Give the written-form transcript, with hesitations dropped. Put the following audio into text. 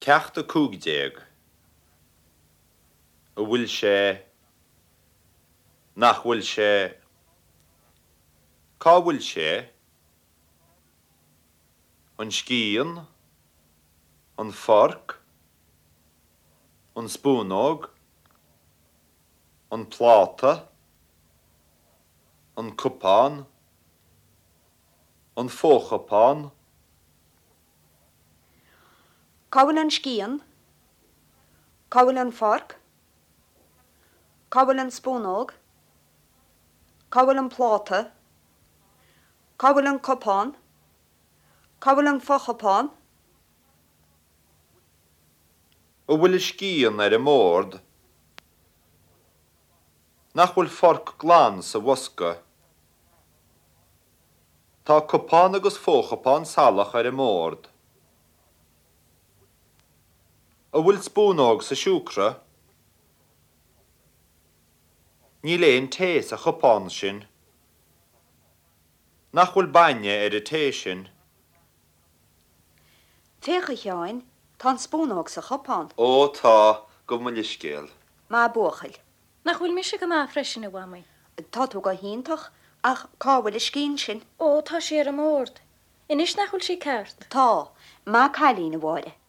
Ceacht 15. An bhfuil sé? Nach bhfuil sé? Cá bhfuil sé? An scian? An forc? An spúnóg? An pláta? An cupán? An fochupán? Cá bhfuil an scian? Cá bhfuil an forc? Cá bhfuil an spúnóg? Cá bhfuil an pláta? Cá bhfuil an cupán? Cá bhfuil an fochupán? An bhfuil an scian ar an mbord? Nach bhfuil forc glan sa bhosca? Tá cupán agus fochupán salach ar an mbord. An bhfuil spúnóg sa siúcra? Níl aon tae sa chupán sin. Nach bhfuil bainne ar an tae sin? Féach, a Sheáin, tá an spúnóg sa chupán. Ó, tá, gabh mo leithscéal. Maith buachaill. Nach bhfuil mise go maith freisin, a Mhamaí? Tá tú go hiontach, ach cá bhfuil an scian sin? Ó, tá sí ar an mbord. Anois nach bhfuil sí ceart? Tá. Maith cailín, a Mháire.